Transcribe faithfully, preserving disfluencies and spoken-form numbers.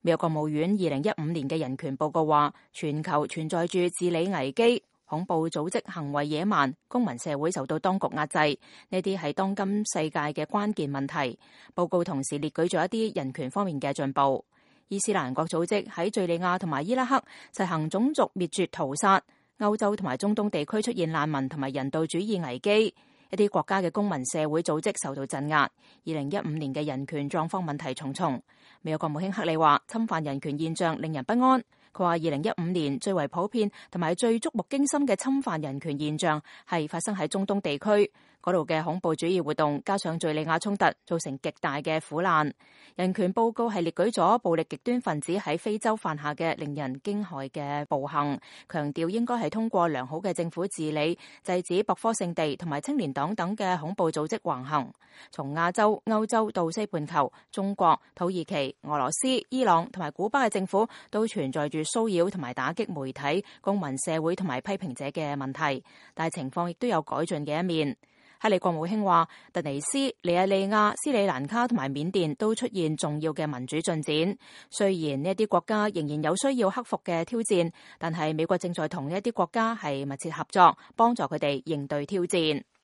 美國國務院二零一五年嘅人權報告話，全球存在住治理危機、恐怖組織行為野蠻、公民社會受到當局壓制，呢啲係當今世界嘅關鍵問題。報告同時列舉咗一啲人權方面嘅進步。伊斯蘭國組織喺敘利亞同埋伊拉克實行種族滅絕屠殺，歐洲同埋中東地區出現難民同埋人道主義危機，一啲國家嘅公民社會組織受到鎮壓。二零一五年嘅人權狀況問題重重。美國國務卿克里話，侵犯人權現象令人不安。佢話，二零一五年最為普遍同埋最觸目驚心嘅侵犯人權現象係發生喺中東地區，嗰度嘅恐怖主義活動加上敘利亞衝突，造成極大嘅苦難。人權報告係列舉咗暴力極端分子喺非洲犯下嘅令人驚駭嘅暴行，強調應該係通過良好嘅政府治理，制止博科聖地同埋青年黨等嘅恐怖組織橫行。從亞洲、歐洲到西半球，中國、土耳其、俄羅斯、伊朗同埋古巴嘅政府都存在住騷擾同埋打擊媒體、公民社會同埋批評者嘅問題，但係情況亦都有改進嘅一面。克里國務卿話，突尼斯、尼日利亞、斯里蘭卡同埋緬甸都出現重要嘅民主進展。雖然呢一啲國家仍然有需要克服嘅挑戰，但係美國正在同呢一啲國家係密切合作，幫助佢哋應對挑戰。